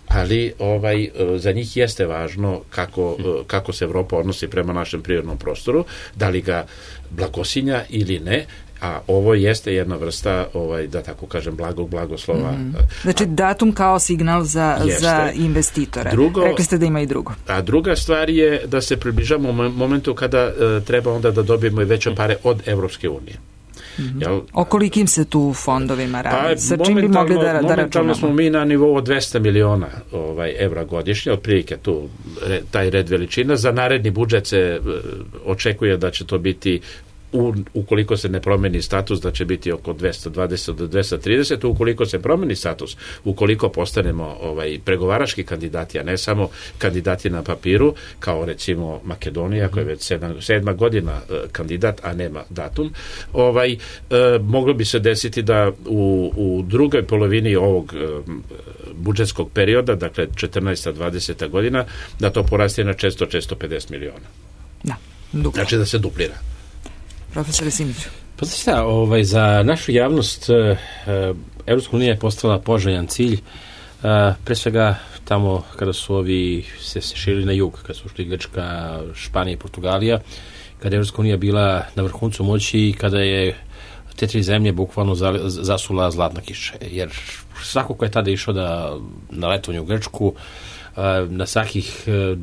ali ovaj, za njih jeste važno kako, kako se Evropa odnosi prema našem prirodnom prostoru, da li ga blagosinja ili ne, a ovo jeste jedna vrsta, ovaj, da tako kažem, blagog blagoslova. Mm. Znači, datum kao signal za, za investitore. Drugo, rekli ste da ima i drugo. A druga stvar je da se približamo u momentu kada uh, treba onda da dobijemo i veće pare od Evropske unije. Mm-hmm. Jel? O kolikim se tu fondovima radi? Pa, sa čim bi mogli da, da računamo? Momentalno smo mi na nivou od dvesta miliona ovaj, evra godišnje, otprilike tu re, taj red veličina. Za naredni budžet se uh, očekuje da će to biti U, ukoliko se ne promeni status, da će biti oko dvesta dvadeset do dvesta trideset, ukoliko se promeni status, ukoliko postanemo ovaj, pregovarački kandidati, a ne samo kandidati na papiru, kao recimo Makedonija, koja je već sedma, sedma godina uh, kandidat, a nema datum, ovaj, uh, moglo bi se desiti da u, u drugoj polovini ovog uh, budžetskog perioda, dakle četrnaesta dvadeseta godina, da to poraste na četiristo do četiristo pedeset miliona. Da, duplo. Znači da se duplira. Profesor Simiću. Pa znači šta, ovaj, za našu javnost uh, Evropska unija je postala poželjan cilj, uh, pre svega tamo kada su ovi se, se širili na jug, kada su šli Grčka, Španija i Portugalija, kada je Evropska unija bila na vrhuncu moći i kada je te tri zemlje bukvalno zasula zlatna kiša, jer svako ko je tada išao da, na letovanje u Grčku, uh, na svakih uh,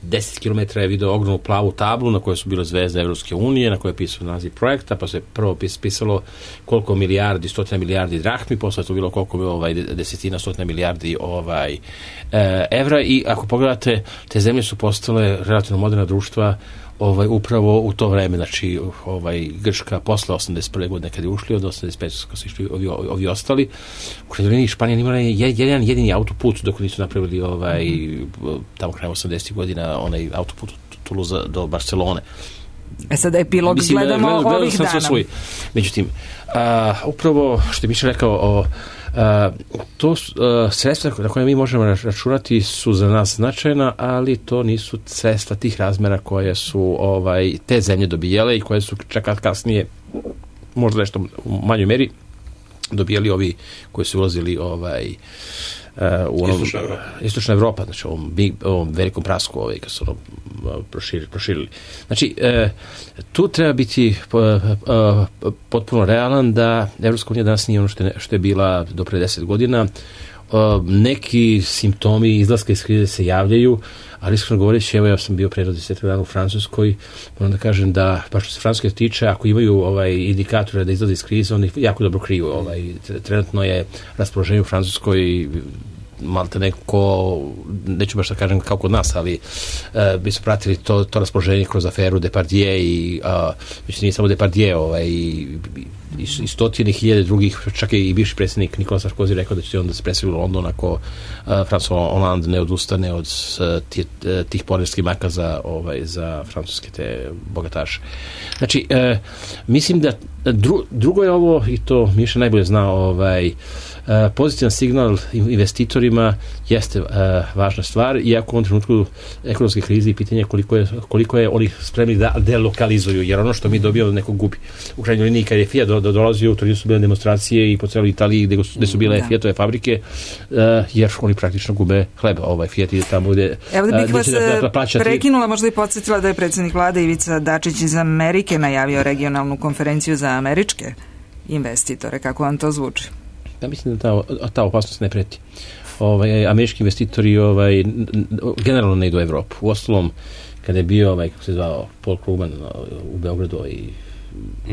deset kilometara je video ogromnu plavu tablu na kojoj su bile zvezde Evropske unije, na kojoj je pisao naziv projekta, pa se prvo pisalo koliko milijardi, stotina milijardi drahmi, posle to bilo koliko bilo ovaj, desetina, stotina milijardi ovaj, e, evra i ako pogledate, te zemlje su postale relativno moderna društva ovaj, upravo u to vreme, znači ovaj, Grčka posle osamdeset prve godine kad je ušli, od osamdeset pete kad su išli ovi, ovi ostali. U krajnjoj liniji Španija nimala je jedan jedini autoput dok nisu napravili ovaj, tamo krajem osamdesetih godina onaj autoput od Toulouse do Barcelone. E sad epilog Mislim, gledamo gledam, gledam ovih dana. Svoj. Međutim, a, upravo što je Miša rekao o a, to a, sredstva na koje mi možemo računati su za nas značajna, ali to nisu sredstva tih razmera koje su ovaj, te zemlje dobijale i koje su čak kasnije možda nešto u manjoj meri dobijali ovi koji su ulazili ovaj, Uh, u onom, Istočna Evropa. Istočna Evropa, znači ovom, big, ovom velikom prasku ovaj, kad su ono proširili, proširili. Znači, uh, tu treba biti uh, uh, potpuno realan da Evropska unija danas nije ono što je, što je bila do pre deset godina. neki simptomi izlaska iz krize se javljaju, ali iskreno govoreći, evo ja sam bio pre deset dana u Francuskoj, moram da kažem da, pa što se Francuske tiče, ako imaju ovaj indikatore da izlaze iz krize, oni jako dobro kriju. Ovaj, trenutno je raspoloženje u Francuskoj malte neko, neću baš da kažem kao kod nas, ali uh, bi su pratili to, to raspoloženje kroz aferu Depardieu i uh, mislim nije samo Depardieu, ovaj, i, i, i stotine hiljade drugih, čak i bivši predsjednik Nikola Sarkozy rekao da će on da se preseli u London ako uh, François Hollande ne odustane od uh, tih, tih poreskih makaza ovaj, za francuske te bogataše. Znači, uh, mislim da dru, drugo je ovo, i to Miša najbolje zna, ovaj, Uh, pozitivan signal investitorima jeste uh, važna stvar, iako u ovom trenutku ekonomske krize i pitanje koliko je, koliko je oni spremni da delokalizuju, jer ono što mi dobijamo neko gubi. U krajnjoj liniji kad je Fiat do, do, dolazio, u Torinu su bile demonstracije i po celoj Italiji gde, gde su bile da. Fiatove fabrike, uh, jer oni praktično gube hleba. Ovaj Fiat ide tamo gde... Evo da bih vas da, da prekinula, možda i podsjetila da je predsjednik vlade Ivica Dačić iz Amerike najavio regionalnu konferenciju za američke investitore. Kako vam to zvuči? Ja mislim da ta, ta opasnost ne preti. Ovaj, američki investitori ovaj, generalno ne idu u Evropu. U ostalom, kada je bio, ovaj, kako se zvao, Paul Krugman u Beogradu i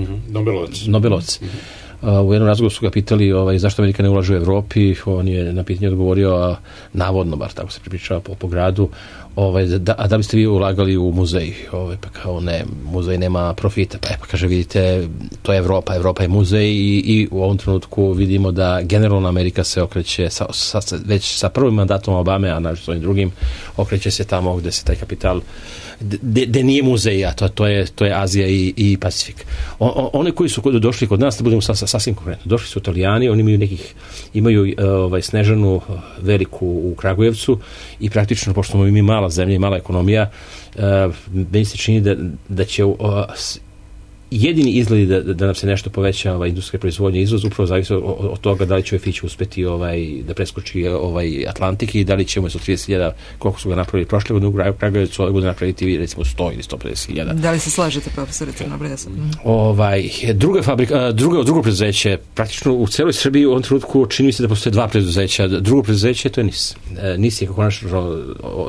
mm-hmm. Nobelovac. Nobelovac. Mm-hmm. Uh, u jednom razgovoru su ga pitali ovaj, zašto Amerika ne ulaže u Evropi. On je na pitanje odgovorio, navodno, bar tako se pripričava po, po gradu, ovaj, da, a da biste vi ulagali u muzej? Ovaj, pa kao ne, muzej nema profita. Pa, e, pa kaže, vidite, to je Evropa, Evropa je muzej i, i u ovom trenutku vidimo da generalno Amerika se okreće sa, sa, već sa prvim mandatom Obame, a naravno s ovim drugim, okreće se tamo gde se taj kapital gde nije muzej, a to, to, je, to je Azija i, i Pacifik. O, o, one koji su došli kod nas, da budemo sa, sa, sasvim konkretno, došli su Italijani, oni imaju nekih, imaju ovaj, Snežanu veliku u Kragujevcu i praktično, pošto smo mi mala zemlja i mala ekonomija, uh, meni se čini da, da će uh, jedini izgledi da, da nam se nešto poveća ovaj, industrijska proizvodnja i izvoz, upravo zavisi od, od toga da li će Fić uspeti ovaj, da preskoči ovaj Atlantik i da li ćemo sa trideset hiljada, koliko su ga napravili prošle godine u Kragujevcu, ove godine napraviti recimo sto ili sto pedeset hiljada. Da li se slažete, profesore Crnobresa? Mm. Ovaj, druga fabrika, drugo, drugo preduzeće, praktično u celoj Srbiji u ovom trenutku čini mi se da postoje dva preduzeća. Drugo preduzeće, to je NIS. NIS je konačno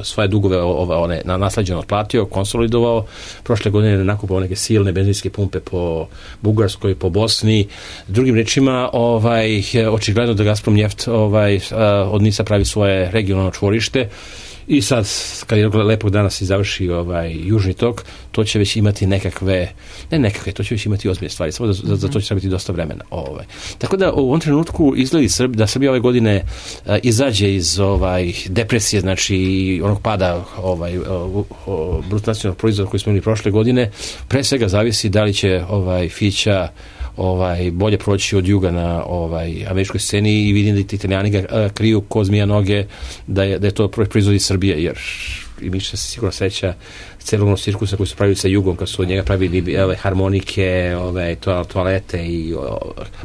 svoje dugove ove, one, nasleđeno otplatio, konsolidovao, prošle godine nakupao neke silne benzinske pumpe po Bugarskoj, po Bosni. Drugim rečima, ovaj, očigledno da Gazprom Njeft ovaj, od NIS-a pravi svoje regionalno čvorište i sad, kad jednog lepog dana se završi ovaj, južni tok, to će već imati nekakve, ne nekakve, to će već imati ozbiljne stvari, samo da za, za to će biti dosta vremena. Ovaj. Tako da u ovom trenutku izgledi Srb, da Srbija ove godine a, izađe iz ovaj, depresije, znači onog pada ovaj, bruto nacionalnog proizvoda koji smo imali prošle godine, pre svega zavisi da li će ovaj, Fića ovaj, bolje proći od juga na ovaj, američkoj sceni i vidim da ti Italijani ga a, kriju ko zmija noge da je, da je to proizvodi Srbije, jer i mi se sigurno seća celog cirkusa koji su pravili sa jugom, kad su od njega pravili ove harmonike, ove toalete i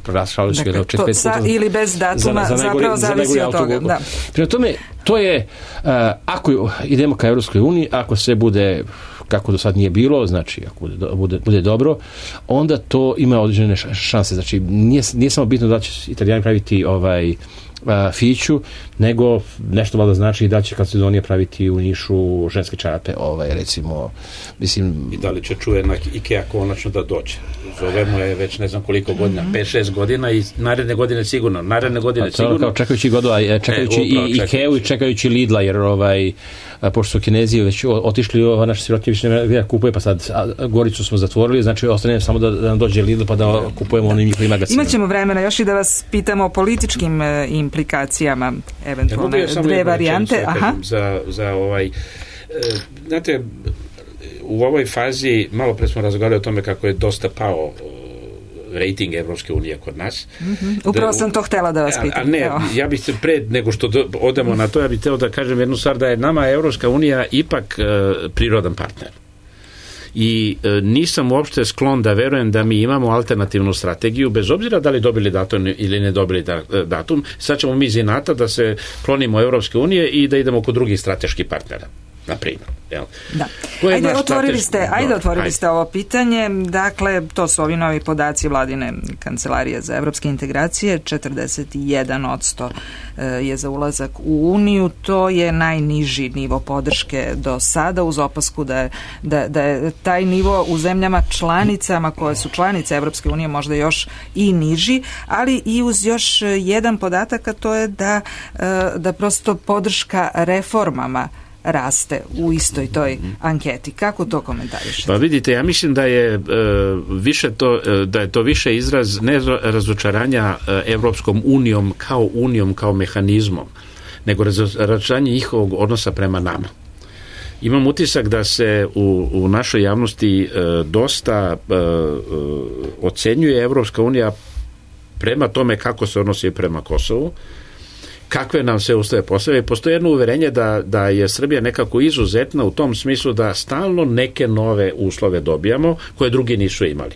proglašavali su ga dakle, to sa ili bez datuma za, za zapravo za zavisi od toga. Da. Prema tome, to je uh, ako idemo ka Evropskoj uniji, ako sve bude kako do sad nije bilo, znači ako bude, bude, bude dobro, onda to ima određene šanse. Znači nije, nije samo bitno da će Italijani praviti ovaj Uh, Fiću, nego nešto valjda znači da će Kalcedonija praviti u Nišu ženske čarape, ovaj, recimo, mislim... I da li će čuvena Ikea konačno da dođe? Zovemo je već ne znam koliko godina, pet šest godina i naredne godine sigurno, naredne godine a to sigurno. Kao čekajući godu, a čekajući e, i Ikeu i čekajući Lidla, jer ovaj, a, pošto su Kinezi već otišli, ova naša sirotinja više ne kupuje, pa sad a, Goricu smo zatvorili, znači ostane samo da, da nam dođe Lidl pa da kupujemo onim njihovim magazima. Imaćemo vremena još i da vas pitamo o političkim e, implikacijama, eventualno ja, dve varijante. Aha. Za, za ovaj, e, znate, u ovoj fazi, malo pre smo razgovarali o tome kako je dosta pao rating Evropske unije kod nas. Mm-hmm. Upravo da, sam to htela da vas pitam. A, a ne, Evo. ja bih se pre nego što do, odemo na to, ja bih hteo da kažem jednu stvar, da je nama Evropska unija ipak e, prirodan partner. I e, nisam uopšte sklon da verujem da mi imamo alternativnu strategiju, bez obzira da li dobili datum ili ne dobili da, datum. Sad ćemo mi iz inata da se klonimo Evropske unije i da idemo kod drugih strateških partnera. na primjer. Jel? Da. Ko je Ajde, naš otvorili strateški- ste, ajde, Dobro, otvorili ajde. ste ovo pitanje. Dakle, to su ovi novi podaci Vladine kancelarije za evropske integracije. četrdeset jedan odsto je za ulazak u Uniju. To je najniži nivo podrške do sada, uz opasku da je, da, da je taj nivo u zemljama članicama koje su članice Evropske unije možda još i niži, ali i uz još jedan podatak, a to je da, da prosto podrška reformama raste u istoj toj anketi. Kako to komentarišete? Pa vidite, ja mislim da je e, više to, e, da je to više izraz ne razočaranja e, Evropskom unijom kao unijom, kao mehanizmom, nego razočaranje njihovog odnosa prema nama. Imam utisak da se u, u našoj javnosti e, dosta e, e, ocenjuje Evropska unija prema tome kako se odnosi prema Kosovu, kakve nam se uslove postavljaju. Postoje jedno uverenje da, da je Srbija nekako izuzetna u tom smislu da stalno neke nove uslove dobijamo koje drugi nisu imali.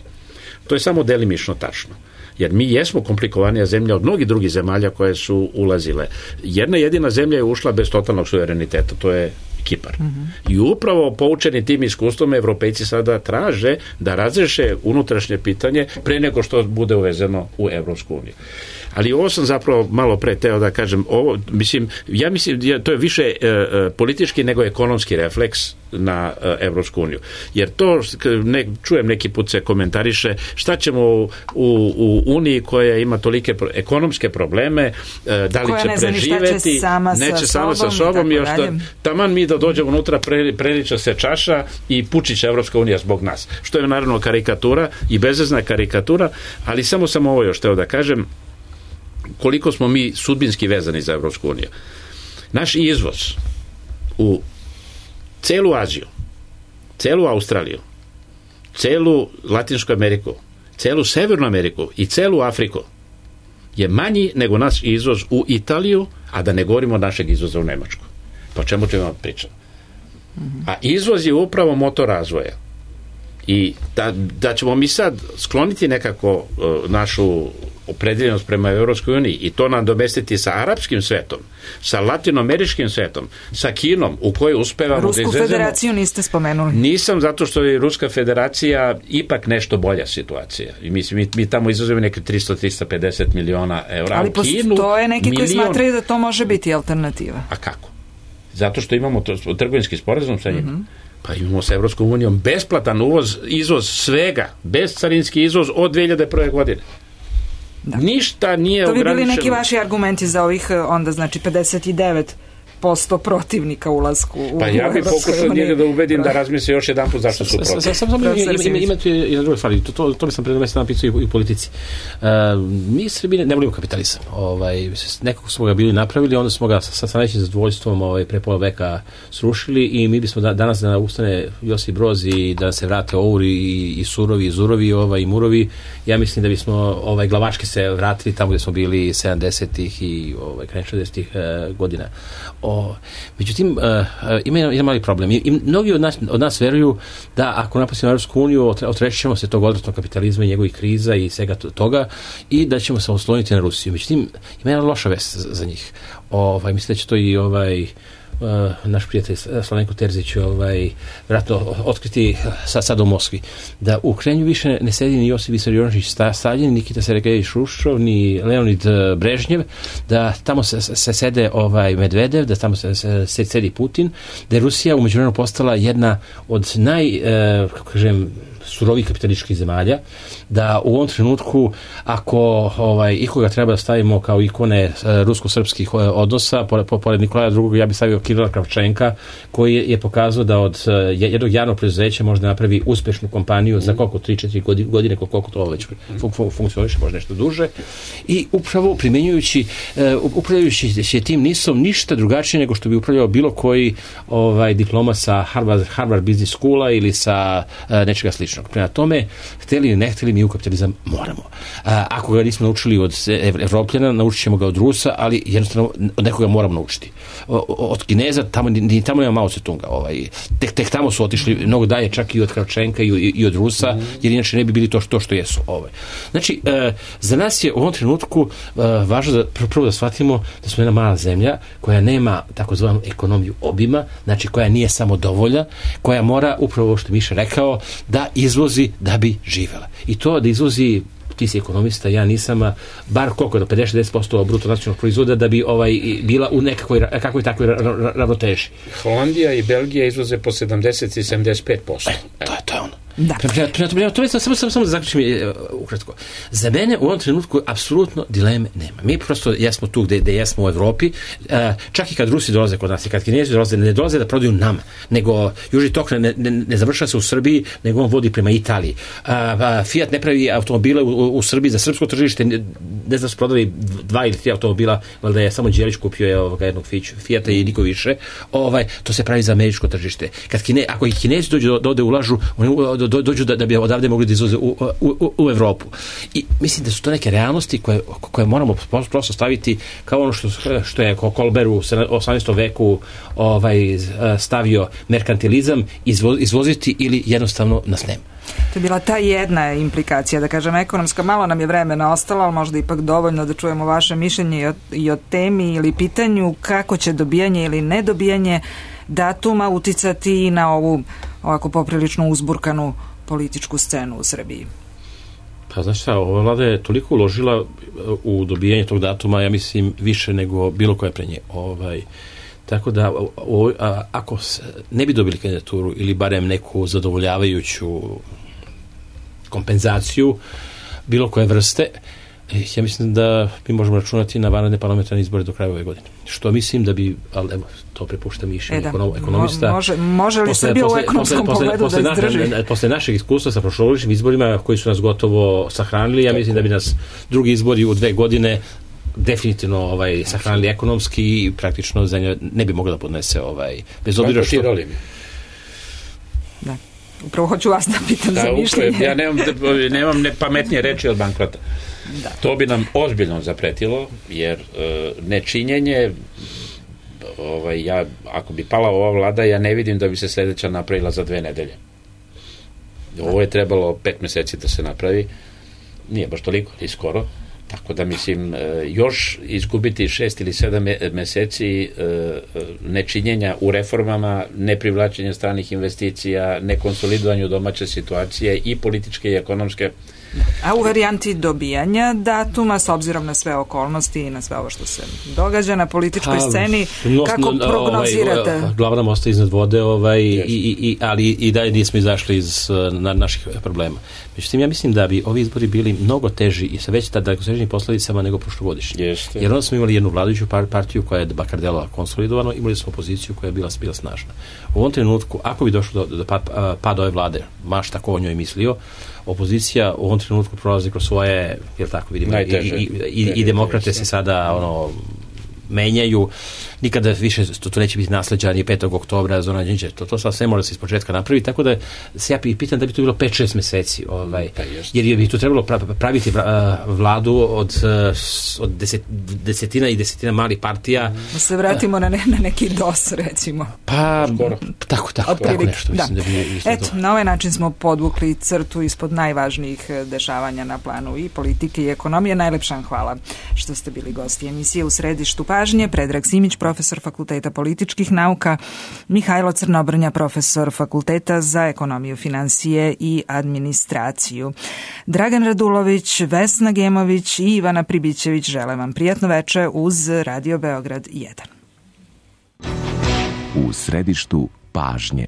To je samo delimično tačno. Jer mi jesmo komplikovanija zemlja od mnogih drugih zemalja koje su ulazile. Jedna jedina zemlja je ušla bez totalnog suvereniteta, to je Kipar. Mm-hmm. I upravo poučeni tim iskustvom Evropejci sada traže da razreše unutrašnje pitanje pre nego što bude uvezeno u Evropsku uniju. Ali ovo sam zapravo malo pre teo da kažem, ovo, mislim, ja mislim da to je više e, e, politički nego ekonomski refleks na e, Evropsku uniju. Jer to, ne, čujem neki put se komentariše, šta ćemo u, u, u Uniji koja ima tolike pro, ekonomske probleme, e, da li koja će ne zna preživeti, će sama neće sa sama sobom sa sobom, i još tako da, dalje. taman mi da dođemo unutra, pre, preliča se čaša i pučiće Evropska unija zbog nas. Što je naravno karikatura i bezvezna karikatura, ali samo sam ovo još teo da kažem, koliko smo mi sudbinski vezani za Evropsku uniju. Naš izvoz u celu Aziju, celu Australiju, celu Latinsku Ameriku, celu Severnu Ameriku i celu Afriku je manji nego naš izvoz u Italiju, a da ne govorimo našeg izvoza u Nemačku. Pa o čemu ćemo pričati? A izvoz je upravo motor razvoja. I da, da ćemo mi sad skloniti nekako uh, našu opredeljenost prema Evropskoj uniji i to nam domestiti sa arapskim svetom, sa latinoameričkim svetom, sa Kinom, u kojoj uspevamo Rusku da izvezemo. federaciju niste spomenuli. Nisam, zato što je Ruska federacija ipak nešto bolja situacija. I mislim, mi, mi tamo izvozimo neke tristo do tristo pedeset miliona evra. Ali postoje neki koji milion... smatraju da to može biti alternativa. A kako? Zato što imamo to, trgovinski sporazum sa njima. Mm-hmm. Pa imamo sa Evropskom unijom besplatan uvoz, izvoz svega, bescarinski izvoz od dve hiljade prve godine. Da. Ništa nije ograničeno. To bi bili neki vaši argumenti za ovih onda znači pedeset devet posto protivnika ulasku u Pa ja bih pokušao njega da ubedim da razmisli još jedan put zašto su protiv. Samo ima tu jedna druga stvar, to, to mi sam pre mesec napisao i u politici. Uh, mi Srbi ne volimo kapitalizam. Ovaj, nekako smo ga bili napravili, onda smo ga sa, sa najvećim zadovoljstvom ovaj, pre pola veka srušili i mi bismo da, danas da ustane Josip Broz i da se vrate Ouri i, i Surovi i Zurovi ovaj, i Murovi, ja mislim da bismo ovaj, glavački se vratili tamo gde smo bili sedamdesetih i ovaj, krajem šezdesetih uh, godina. O, međutim, uh, ima jedan mali problem. I, i mnogi od nas, od nas veruju da ako napustimo Europsku uniju, otrešit ćemo se tog odvratnog kapitalizma i njegovih kriza i svega toga i da ćemo se osloniti na Rusiju. Međutim, ima jedna loša vest za, za njih. Ovaj, mislim da će to i ovaj Uh, naš prijatelj Slavenko Terzić ovaj, vratno otkriti sad, sad u Moskvi, da u Kremlju više ne sedi ni Josip Visarionović Stalin, Nikita Sergejević Hruščov, ni Leonid Brežnjev, da tamo se, se sede ovaj Medvedev, da tamo se, se, se sedi Putin, da je Rusija u međuvremenu postala jedna od naj, uh, kako kažem, surovih kapitalističkih zemalja, da u ovom trenutku ako ovaj, ikoga treba da stavimo kao ikone e, rusko-srpskih e, odnosa, pored, pored Nikolaja drugog, ja bih stavio Kirila Kravčenka, koji je, je pokazao da od e, jednog javnog preduzeća može da napravi uspešnu kompaniju za koliko, tri četiri godine, koliko to već fun, fun, funkcioniše, možda nešto duže. I upravo primenjujući, e, upravljajući tim nisom ništa drugačije nego što bi upravljao bilo koji ovaj, diploma sa Harvard, Harvard Business Schoola ili sa e, nečega sličnog. rizičnog. Prema tome, hteli ili ne hteli, mi u kapitalizam moramo. A, ako ga nismo naučili od Evropljana, naučit ćemo ga od Rusa, ali jednostavno od nekoga moramo naučiti. Od Kineza, tamo, ni tamo nema Mao Tse-tunga. Ovaj, tek, tek tamo su otišli mnogo dalje, čak i od Kravčenka i, i, i od Rusa, mm. jer inače ne bi bili to što, što jesu. Ovaj. Znači, e, za nas je u ovom trenutku e, važno da prvo da shvatimo da smo jedna mala zemlja koja nema takozvanu ekonomiju obima, znači koja nije samo dovolja, koja mora, upravo što Miša rekao, da izvozi da bi živela. I to da izvozi, ti si ekonomista, ja nisam, bar koliko do pedeset do šezdeset posto bruto nacionalnog proizvoda da bi ovaj bila u nekakvoj kakvoj takvoj ravnoteži. Holandija i Belgija izvoze po sedamdeset i sedamdeset pet posto. E, to je to je ono. Da. To je samo samo samo da zaključim ukratko. Za mene u ovom trenutku apsolutno dileme nema. Mi prosto jesmo tu gde, gde jesmo u Evropi. Čak i kad Rusi dolaze kod nas i kad Kinezi dolaze, ne dolaze da prodaju nama, nego Južni tok ne, ne, ne završava se u Srbiji, nego on vodi prema Italiji. Fiat ne pravi automobile u, u Srbiji za srpsko tržište, ne, ne znam su prodali dva ili tri automobila, valjda je samo Đelić kupio je ovoga jednog Fiata i niko više. Ovaj, to se pravi za američko tržište. Kad Kine, ako i Kinezi dođu da ovde ulažu, oni do, dođu da, da bi odavde mogli da izvoze u, u, u Evropu. I mislim da su to neke realnosti koje, koje moramo prosto staviti kao ono što, što je Kolber u osamnaestom veku ovaj, stavio merkantilizam, izvo, izvoziti ili jednostavno nas nema. To je bila ta jedna implikacija, da kažem, ekonomska. Malo nam je vremena ostalo, ali možda ipak dovoljno da čujemo vaše mišljenje i o, i o temi ili pitanju kako će dobijanje ili nedobijanje datuma uticati na ovu ovako poprilično uzburkanu političku scenu u Srbiji. Pa znaš šta, ova vlada je toliko uložila u dobijanje tog datuma, ja mislim više nego bilo koje pre nje. Ovaj, tako da o, a, ako ne bi dobili kandidaturu ili barem neku zadovoljavajuću kompenzaciju bilo koje vrste, ja mislim da mi možemo računati na vanredne parlamentarne izbore do kraja ove godine. Što mislim da bi, ali evo, to prepušta mišljenje e ekonom, ekonomista. Može, može li posle, Srbija posle, u ekonomskom posle, pogledu posle, da izdrži? Na, posle našeg iskustva sa prošlogodišnjim izborima koji su nas gotovo sahranili, ja mislim da bi nas drugi izbori u dve godine definitivno ovaj, sahranili ekonomski i praktično zemlja ne bi mogla da podnese ovaj, bez obzira što... Da. Upravo hoću vas da pitam da, za mišljenje. Ja nemam, nemam ne pametnije reči od bankrota. Da. To bi nam ozbiljno zapretilo, jer e, nečinjenje, ovaj, ja, ako bi pala ova vlada, ja ne vidim da bi se sledeća napravila za dve nedelje. Ovo je trebalo pet meseci da se napravi, nije baš toliko, ni skoro, tako da mislim, e, još izgubiti šest ili sedam meseci e, nečinjenja u reformama, neprivlačenja stranih investicija, nekonsolidovanju domaće situacije i političke i ekonomske. A u varijanti dobijanja datuma, s obzirom na sve okolnosti i na sve ovo što se događa na političkoj sceni, kako no, prognozirate? Ovaj, glava nam ostaje iznad vode, ovaj, i, i, ali i dalje nismo izašli iz na, naših problema. Međutim, ja mislim da bi ovi izbori bili mnogo teži i sa već dalekosežnim posledicama nego prošlogodišnji. Jeste. Jer onda smo imali jednu vladajuću partiju koja je bakar delala konsolidovano, imali smo opoziciju koja je bila, bila snažna. U ovom trenutku, ako bi došlo do, do pada ove vlade, maš tako o njoj mislio, opozicija u ovom trenutku prolazi kroz svoje, jel tako vidimo, najteže, i, i, i, i demokrate se sada ono menjaju, nikada više to, to neće biti nasleđa ni petog oktobra, Zorana Đinđića, to, to sad sve mora se iz početka napraviti, tako da se ja pitam da bi to bilo pet šest meseci, ovaj, jer bi tu trebalo praviti vladu od, od deset, desetina i desetina malih partija. Da se vratimo na, ne, na neki dos, recimo. Pa, skoro. Tako, tako, tako nešto. Mislim, da. Da bi Eto, na ovaj način smo podvukli crtu ispod najvažnijih dešavanja na planu i politike i ekonomije. Najlepša hvala što ste bili gosti emisije U središtu pažnje. Predrag Simić, profesor Fakulteta političkih nauka, Mihajlo Crnobrnja, profesor Fakulteta za ekonomiju, finansije i administraciju. Dragan Radulović, Vesna Gemović i Ivana Pribićević žele vam prijatno veče uz Radio Beograd jedan. U središtu pažnje.